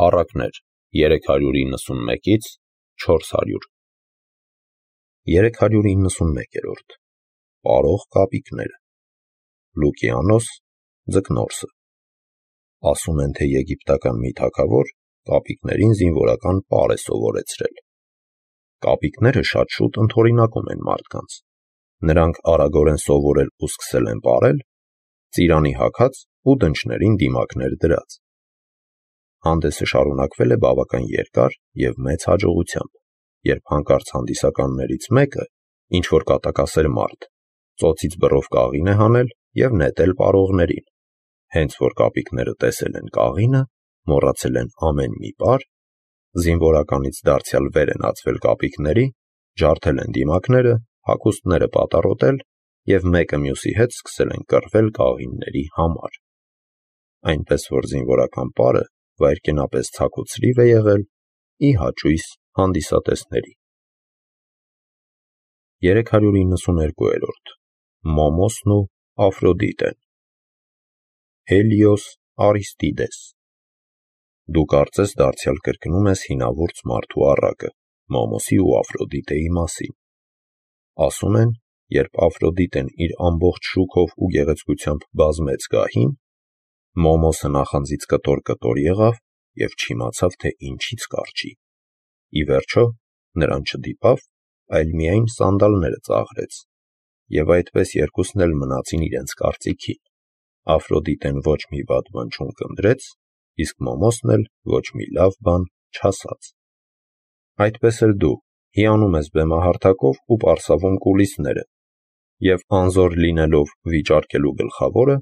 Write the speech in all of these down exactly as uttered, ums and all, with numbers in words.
Առակներ երեք հարյուր իննսունմեկից չորս հարյուր երեք հարյուր իննսունմեկերորդ Պարող կապիկները Լուկիանոս Ձկնորսը Ասում են, թե եգիպտական մի թագավոր կապիկներին զինվորական պար է սովորեցրել։ Կապիկները շատ շուտ ընդօրինակում են մարդկանց։ Նրանք արագորեն սովորել ու սկսել են պարել, ծիրանի հագած ու դնչներին դիմակներ դրած։ Հանդեսը շարունակվել է բավական երկար և մեծ հաջողությամբ, երբ հանկարծ հանդիսականներից մեկը, ինչ-որ կատակասեր մարդ, ծոցից բռով կաղին է հանել և նետել պարողներին։ Հենց որ կապիկները տեսել են կաղինը, մոռացել են ամեն մի պար, զինվորականից դարձյալ վեր են ածվել կապիկների, ջարդել են դիմակները, հագուստները պատառոտել և մեկը մյուսի հետ սկսել են կռվել կաղինների համար։ Այնպես որ զինվորական պարը վայրկենապես ցաքուցրիվ է եղել ի հաճույս հանդիսատեսների։ երեք հարյուր իննսուներկուերորդ Մոմոսն ու Աֆրոդիտեն Հելիոս Արիստիդես Դու կարծես դարձյալ կրկնում ես հինավուրց մարդու առակը Մոմոսի ու Աֆրոդիտեի մասին։ Ասում են, երբ Աֆրոդիտեն իր ամբողջ շուքով ու գեղեցկությամբ բազմեց գահին, Մոմոսը նախանձից կտոր-կտոր եղավ և չիմացավ, թե ինչից կառչի։ Ի վերջո նրան չդիպավ, այլ միայն սանդալները ծաղրեց, և այդպես երկուսն էլ մնացին իրենց կարծիքին։ Աֆրոդիտեն ոչ մի վատ բան չունկնդրեց, իսկ Մոմոսն էլ ոչ մի լավ բան չասաց։ Այդպես էլ դու հիանում ես բեմահարթակով ու պարսավում կուլիսները, և անզոր լինելով վիճարկելու գլխավորը,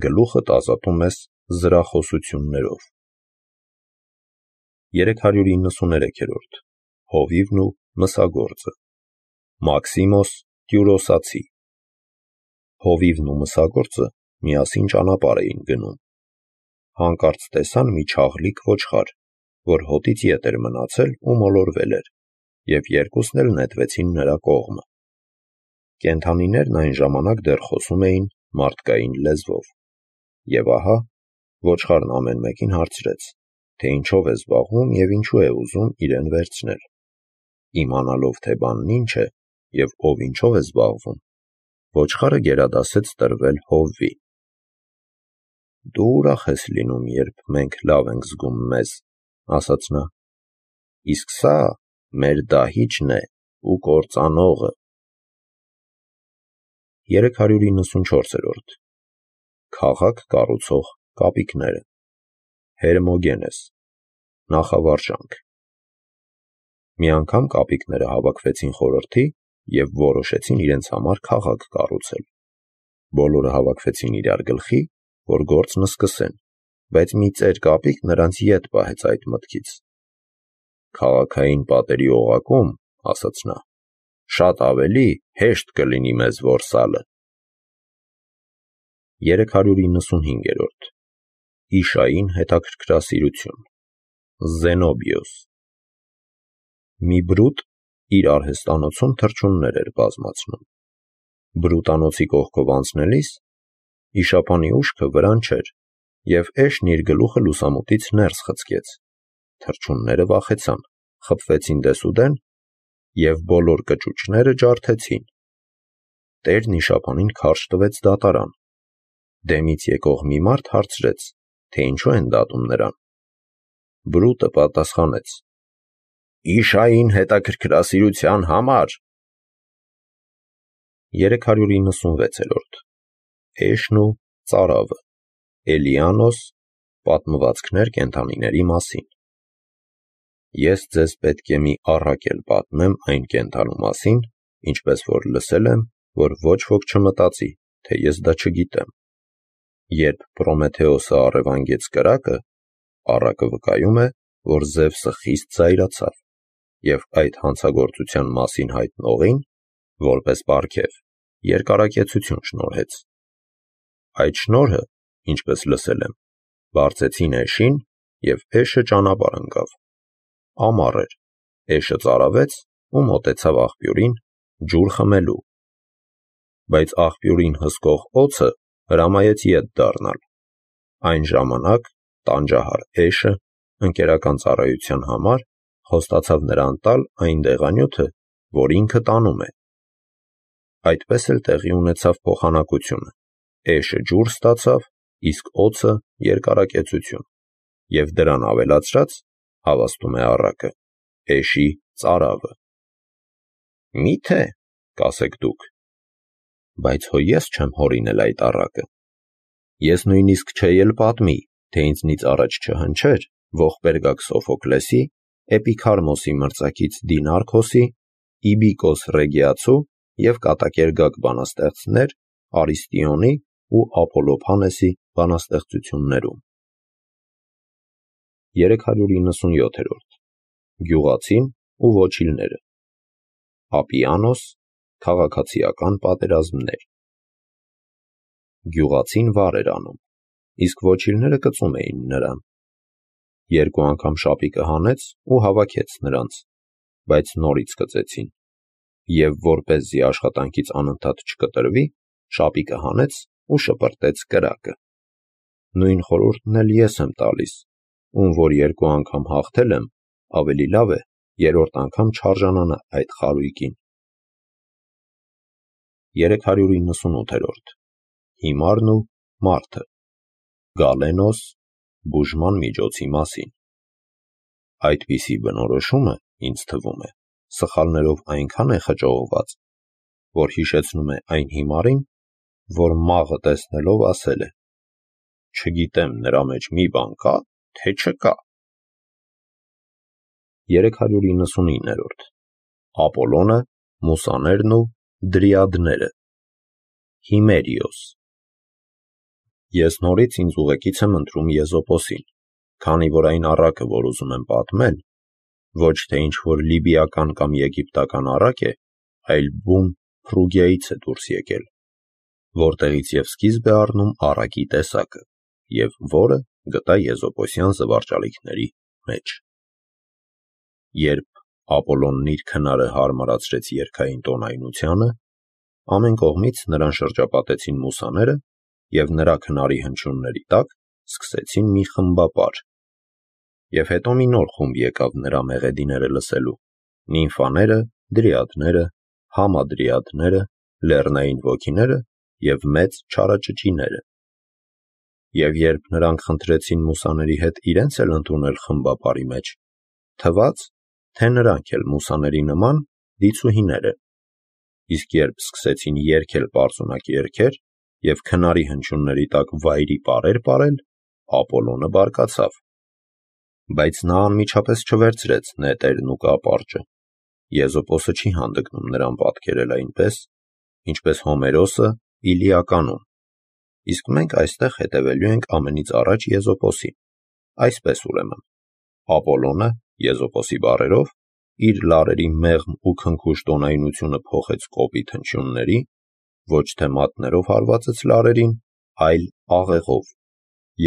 գլուխդ ազատում ես զրախոսություններով։ երեք հարյուր իննսուներեքերորդ Հովիվն ու մսագործը Մաքսիմոս Տյուրոսացի Հովիվն ու մսագործը միասին ճանապարհ էին գնում։ Հանկարծ տեսան մի չաղլիկ ոչխար, որ հոտից ետ էր մնացել ու մոլորվել էր, և երկուսն էլ նետվեցին նրա կողմը։ Կենդանիներն այն ժամանակ դեռ խոսում էին մարդկային լեզվով։ Եվ ահա, ոչխարն ամեն մեկին հարցրեց, թե ինչով է զբաղվում և ինչու է ուզում իրեն վերցնել։ Իմանալով, թե բանն ինչ է և ով ինչով է զբաղվում, ոչխարը գերադասեց տրվել Հովվի։ Դու ուրախ ես լինում, երբ մենք լավ ենք զգում մեզ, ասաց նա, իսկ սա մեր դահիճն է ու կործանողը։ երեք հարյուր իննսունչորսերորդ Քաղաք կառուցող կապիկները Հերմոգենես Նախավարժանք Մի անգամ կապիկները հավաքվեցին խորհրդի և որոշեցին իրենց համար քաղաք կառուցել։ Բոլորը հավաքվեցին իրար գլխի, որ գործն սկսեն, բայց մի ծեր կապիկ նրանց ետ պահեց այդ մտքից։ Քաղաքային պատերի օղակում, ասաց նա, շատ ավելի հեշտ կլինի մեզ որսալը։ երեք հարյուր իննսունհինգերորդ Իշային հետաքրքրասիրություն Զենոբիոս Մի բրուտ իր արհեստանոցում թռչուններ էր բազմացնում։ Բրուտանոցի կողքով անցնելիս իշապանի ուշքը վրան չէր, և էշն իր գլուխը լուսամուտից ներս խցկեց։ Թռչունները վախեցան, խփվեցին դեսուդեն և բոլոր կճուճները ջարդեցին։ Տերն իշապանին քարշ տվեց դատարան։ Դեմից եկող մի մարդ հարցրեց, թե ինչու են դատում նրան։ Բրուտը պատասխանեց. Իշային հետաքրքրասիրության համար։ երեք հարյուր իննսունվեցերորդ Էշն ու ծարավը Էլիանոս Պատմվածքներ կենդանիների մասին Ես ձեզ պետք է մի առակել պատմեմ այն կենդանու մասին, ինչպես որ լսել եմ, որ ոչ ոք չմտածի, թե ես դա չգիտեմ։ Երբ Պրոմեթեոսը առևանգեց կրակը, առակը վկայում է, որ Զևսը խիստ զայրացավ, և այդ հանցագործության մասին հայտնողին, որպես պարգև, երկարակեցություն շնորհեց։ Այդ շնորհը, ինչպես լսել եմ, բարձեցին էշին, և էշը ճանապարհ ընկավ։ Ամառ էր, էշը ծարավեց ու մոտեցավ աղբյուրին ջուր խմելու։ Բայց աղբյուրին հսկող օձը հրամայեց ետ դառնալ։ Այն ժամանակ տանջահար էշը ընկերական ծառայության համար խոստացավ նրան տալ այն դեղանյութը, որ ինքը տանում է։ Այդպես էլ տեղի ունեցավ փոխանակությունը. էշը ջուր ստացավ, իսկ օձը երկարակեցություն, և դրան ավելացրած, հավաստում է առակը, էշի ծարավը։ Մի՞թե, կասեք դուք, բայց հո ես չեմ հորինել այդ առակը։ Ես նույնիսկ չէի էլ պատմի, թե ինձնից առաջ չհնչեր ողբերգակ Սոֆոկլեսի, Էպիքարմոսի մրցակից Դինարքոսի, Իբիկոս Ռեգիացու և կատակերգակ բանաստեղծներ Արիստիոնի ու Ափոլոփանեսի բանաստեղծություններում։ երեք հարյուր իննսունյոթերորդ Գյուղացին ու ոչիլները Ապիանոս, քաղաքացիական պատերազմներ։ Գյուղացին վար էր անում, իսկ ոչիլները կծում էին նրան։ Երկու անգամ շապիկը հանեց ու հավաքեց նրանց, բայց նորից կծեցին, և որպեսզի աշխատանքից անընդհատ չկտրվի, շապիկը հանեց ու շպրտեց կրակը։ Նույն խորհուրդն էլ ես եմ տալիս, ում որ երկու անգամ հաղթել եմ, ավելի լավ է երրորդ անգամ չարժանանա այդ խարույկին։ երեք հարյուր իննսունութերորդ Հիմարն ու մարդը Գալենոս, բուժման միջոցի մասին։ Այդպիսի բնորոշումը, ինձ թվում է, սխալներով այնքան է խճողված, որ հիշեցնում է այն հիմարին, որ մաղը տեսնելով ասել է. չգիտեմ նրա մեջ մի բան կա, թե չկա։ երեք հարյուր իննսունիններորդ Ապոլոնը, մուսաներն ու դրիադները Հիմերիոս Ես նորից ինձ ուղեկից եմ ընտրում Եզոպոսին, քանի որ այն առակը, որ ուզում եմ պատմել, ոչ թե ինչ-որ լիբիական կամ եգիպտական առակ է, այլ բուն Փրուգիայից է դուրս եկել, որտեղից և սկիզբ է առնում առակի տեսակը, և որը գտա եզոպոսյան զվարճալիքների մեջ։ Երբ Ապոլոնն իր քնարը հարմարացրեց երգային տոնայնությանը, ամեն կողմից նրան շրջապատեցին մուսաները և նրա քնարի հնչյունների տակ սկսեցին մի խմբապար։ Եվ հետո մի նոր խումբ եկավ նրա մեղեդիները լսելու՝ նիմֆաները, դրիադները, համադրիադները, լեռնային ոգիները և մեծ չարաճճիները։ Եվ երբ նրանք խնդրեցին մուսաների հետ իրենց էլ ընդունել խմբապարի մեջ, թվաց, թե նրանք էլ մուսաների նման դիցուհիներ են։ Իսկ երբ սկսեցին երգել պարզունակ երգեր և քնարի հնչյունների տակ վայրի պարեր պարել, Ապոլոնը բարկացավ։ Բայց նա անմիջապես չվերցրեց նետերն ու կապարճը։ Եզոպոսը չի հանդգնում նրան պատկերել այնպես, ինչպես Հոմերոսը Իլիականում, իսկ մենք այստեղ հետևելու ենք ամենից առաջ Եզոպոսին։ Այսպես ուրեմն, Ապոլոնը, Եզոպոսի բառերով, իր լարերի մեղմ ու քնքուշ տոնայնությունը փոխեց կոպիտ հնչյունների, ոչ թե մատներով հարվածեց լարերին, այլ աղեղով,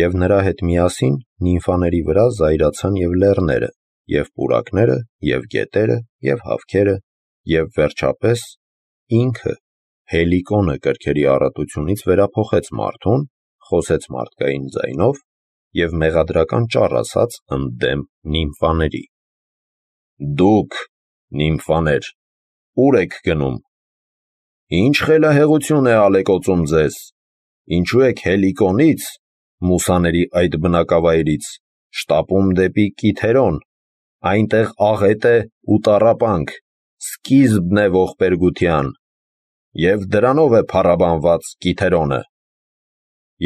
և նրա հետ միասին նիմֆաների վրա զայրացան և լեռները, և պուրակները, և գետերը, և հավքերը, և վերջապես ինքը, Հելիկոնը կրքերի առատությունից վերափոխեց մարդուն, խոսեց մարդկային ձայնով և մեղադրական ճառ ասաց ընդդեմ նիմֆաների. «Դուք, նիմֆաներ, ո՞ւր եք գնում. ի՞նչ խելահեղություն է ալեկոծում ձեզ, ինչու եք Հելիկոնից, մուսաների այդ բնակավայրից, շտապում դեպի Կիթերոն, այնտեղ աղետ է ու տառապանք, սկիզբն է ողբերգության, և դրանով է փառաբանված Կիթերոնը։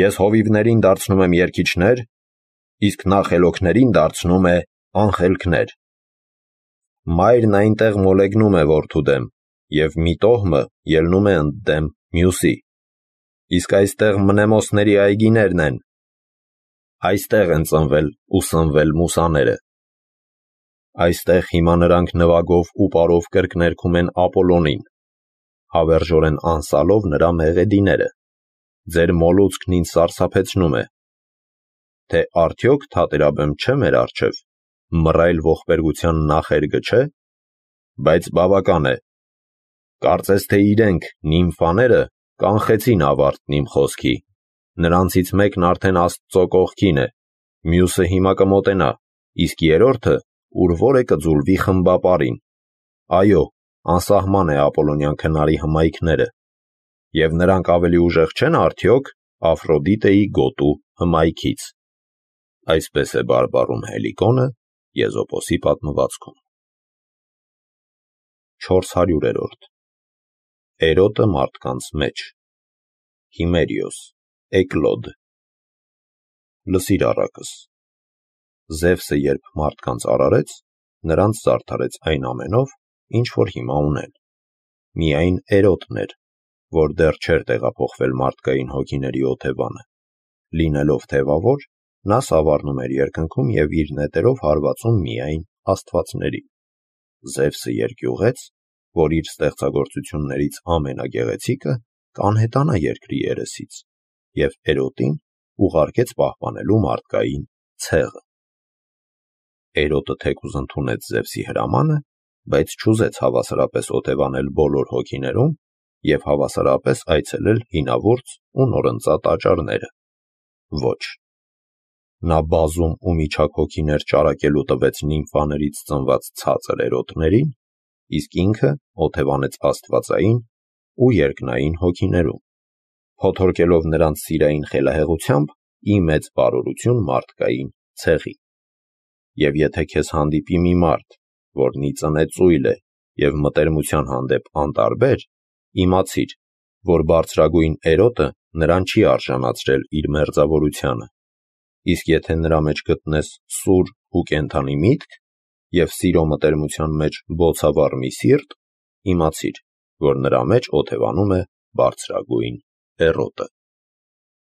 Ես հովիվներին դարձնում եմ երգիչներ, իսկ նա խելոքներին դարձնում է անխելքներ։ Մայրն այնտեղ մոլեգնում է որդու դեմ, և մի տոհմը ելնում է ընդդեմ մյուսի, իսկ այստեղ մնեմոսների այգիներն են, այստեղ են ծնվել ու սնվել մուսաները։ Այստեղ հիմա նրանք նվագով ու պարով կրկներգում են Ապոլոնին, հավերժորեն անսալով նրա մեղեդիները, ձեր մոլուցքն ինձ սարսափեցնում է, թե արդյոք թատերաբեմ չէ մեր առջև, մռայլ ողբերգության նախերգը չէ, բայց բավական է, կարծես թե իրենք, նիմֆաները, կանխեցին ավարտն իմ խոսքի, նրանցից մեկն արդեն Աստծո կողքին է, մյուսը հիմա կմոտենա իսկ երրորդը ուր որ է կձուլվի խմբապարին։ Այո, անսահման է Ապոլոնյան քնարի հմայքները, և նրանք ավելի ուժեղ չեն արդյոք Աֆրոդիտեի գոտու հմայքից։ Այսպես է բարբառում Հելիկոնը Եզոպոսի պատմվածքում։ չորս հարյուրերորդ Էրոտը մարդկանց մեջ Հիմերիոս, Էկլոդ։ Լսիր առակս։ Զևսը երբ մարդկանց արարեց, նրանց զարդարեց այն ամենով, ինչ որ հիմա ունեն։ Միայն Էրոտն էր, որ դեռ չէր տեղափոխվել մարդկային հոգիների օթևանը։ Լինելով թևավոր, նա սավառնում էր երկնքում և իր նետերով հարվածում միայն աստվածներին։ Զևսը երկյուղեց, որ իր ստեղծագործություններից ամենագեղեցիկը կանհետանա երկրի երեսից, և Էրոտին ուղարկեց պահպանելու մարդկային ցեղը։ Էրոտը թեկուզ ընդունեց Զևսի հրամանը, բայց չուզեց հավասարապես օթևանել բոլոր հոգիներում և հավասարապես այցելել հինավուրց ու նորընծա տաճարները։ Ոչ։ Նա բազում ու միջակ հոգիներ ճարակելու տվեց նիմֆաներից ծնված ցածր էրոտներին, իսկ ինքը օթևանեց աստվածային ու երկնային հոգիներում, փոթորկելով նրանց սիրային խելահեղությամբ ի մեծ բարօրություն մարդկային ցեղի։ Եվ եթե քեզ հանդիպի մի մարդ, որն ի ծնե ծույլ է և մտերմության հանդեպ անտարբեր, իմացիր, որ բարձրագույն Էրոտը նրան չի արժանացրել իր մերձավորությանը, իսկ եթե նրա մեջ գտնես սուր ու կենդանի միտք և սիրո մտերմության մեջ բոցավառ մի սիրտ, իմացիր, որ նրա մեջ օթևանում է բարձրագույն Էրոտը։